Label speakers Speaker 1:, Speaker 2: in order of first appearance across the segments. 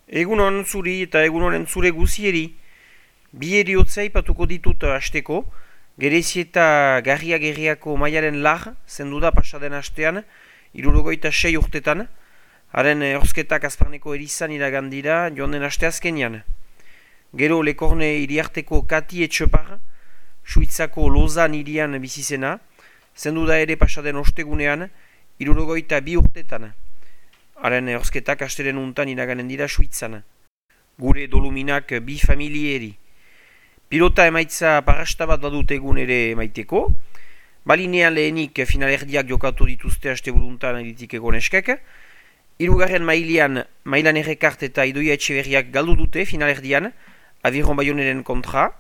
Speaker 1: Egunon zuri eta egunonen zure guzieri. Bi eriotza ipatuko ditut hasteko. Gerezi eta garria-gerriako maialen lar, zendu da pasaden hastean, 66 urtetan. Haren horzketak azparneko erizan iragandira joan den haste azkenian. Gero Lekorne iriarteko Kati Etxepar, Suitzako Lozan irian bizizena, zendu da ere pasaden ostegunean, 62 urtetan. Haren horzketak hasteren untan iraganen dira Suitzan. Gure doluminak bi familieri. Pilota emaitza parrasta bat badut egun ere emaiteko. Balinean lehenik finalerdiak jokatu dituzte haste buruntan editik egoneskek. Hirugarren mailan errekart eta Idoia Etxeberriak galdu dute finalerdian, Aviron Bayoneren kontra,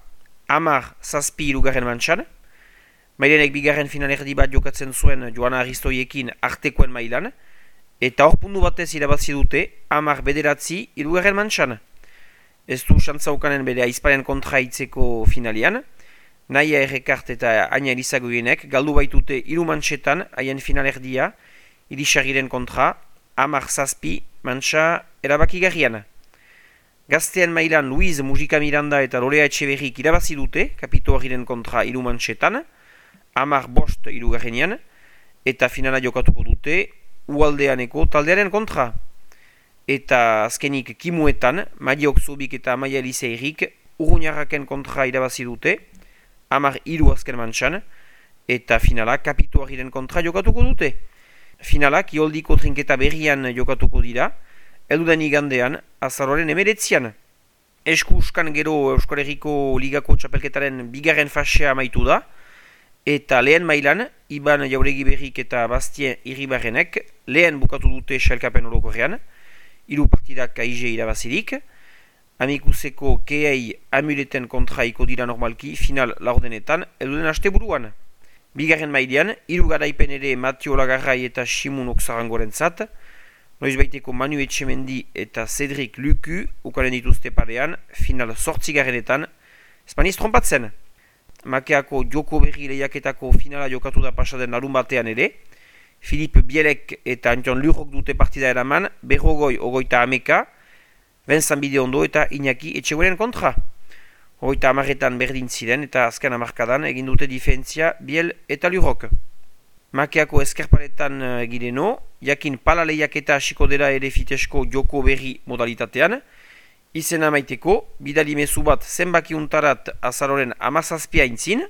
Speaker 1: 10-7 hirugarren mantxan. Mailenek bigarren finalerdi bat jokatzen zuen Joana Aristoiekin artekoen mailan, eta hor pundu batez irabazi dute 10-9 hirugarren mantxan. Ez du xantzaukanen bere aizparen kontra itzeko finalian, Naia Errekart eta Aina Elizagoienek galdu baitute 3 mantxetan haien finalerdia Irisarriren kontra, 10-7 mantxa erabakigarrian. Gaztean mailan Luiz Mujika Miranda eta Lorea Etxeberrik irabazi dute Kapito Harriren kontra 3 mantxetan, 10-5 hirugarrenean, eta finala jokatuko dute Ualdeaneko taldearen kontra. Eta azkenik kimuetan, Madiok Zubik eta Amaia Elizeirik Urruñarraken kontra irabazi dute, 10-3 azken mantxan, eta finala Kapito Harriren kontra jokatuko dute. Finalak Ioldiko trinketa berrian jokatuko dira, elduden igandean, azaroaren 19. Esku uskan gero Euskal Herriko Ligako txapelketaren bigarren fasea amaitu da, eta lehen mailan, Iban Jauregi Berrik eta Bastien Iribarrenek lehen bukatu dute sailkapen orokorrean, 3 partidak aize irabazirik, Amikuseko Keei Amuleten kontra iko dira normalki final laurdenetan elduden haste buruan. Bigarren mailean, 3 garaipen ere Matio Lagarrai eta Simun Oksarangoren zat, noizbaiteko Manu Etxemendi eta Cedric Luku ukaren dituzte parean, final 8 Espaniz trompatzen. Makeako joko berri lehiaketako finala jokatu da pasaden larun batean ere, Philippe Bielek eta Anton Lurok dute partida eraman, Berrogoi ogoita ameka, Vincent Bideondo eta Iñaki Etxegoren kontra. Ogoita amaretan berdin ziren eta azken amarkadan egin dute difentzia Biel eta Lurok. Makeako eskerparetan egireno, jakin pala lehiaketa hasiko dela ere fitesko joko berri modalitatean, izena maiteko, bidali mezu bat zenbakiuntarat azaroren 17 aintzin,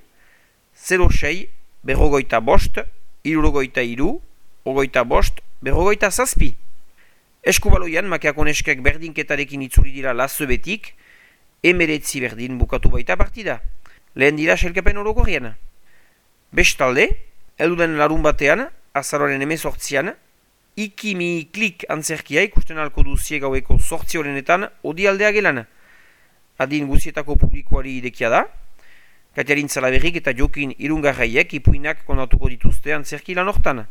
Speaker 1: 06, berrogoita bost, 63, ogoita bost, berrogoita zazpi. Eskubaloian, Makeako neskek berdinketarekin itzuri dira lazobetik, 19 berdin bukatu baita partida. Lehen dira sailkapen orokorrean. Bestalde, elduden larun batean, azaroren 18, Ikimi klik antzerkia ikusten alko duzie gaueko 8 horrenetan odialdea gelan. Adin guzietako publikoari idekia da. Katiarin Zalaberrik eta Jokin Irungarraiek ipuinak kondatuko dituzte antzerki lan hortan.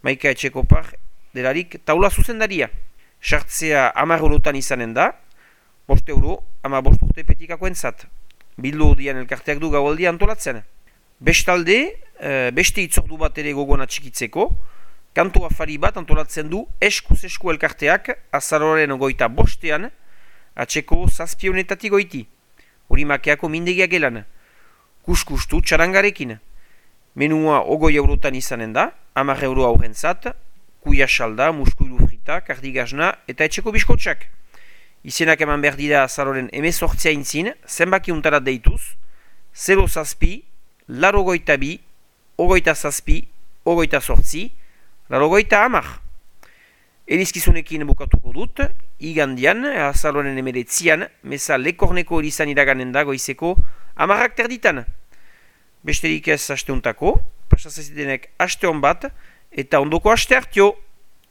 Speaker 1: Maika Etxekopar delarik taula zuzendaria. Sartzea 10 eurotan izanen da, 5 euro, 15 urte petikako entzat. Bildu odian elkarteak du gaualdia antolatzen. Bestalde, beste itzordu bat ere gogoan atxikitzeko, kantu afari bat antolatzen du eskuz esku elkarteak azaroren 25 atxeko 7 goiti. Hori Makeako mindegia gelan. Kuskustu txarangarekin. Menua 20 eurotan izanen da, 10 euro aurrentzat, kuia salda, muskuilu frita, kardigazna eta etxeko biskotxak. Izenak eman behar dira azaroren 18 aintzin, zenbaki untarat deituz, 0 zazpi, laro goita bi, ogoita zazpi, ogoita sortzi, larogoita 10. Elizkizunekin bukatuko dut, igandian, azaroren 19, meza Lekorneko erizan iraganen da goizeko 10 terditan. Besterik ez hasteuntako, pasazazitenek haste hon bat, eta ondoko haste hartio.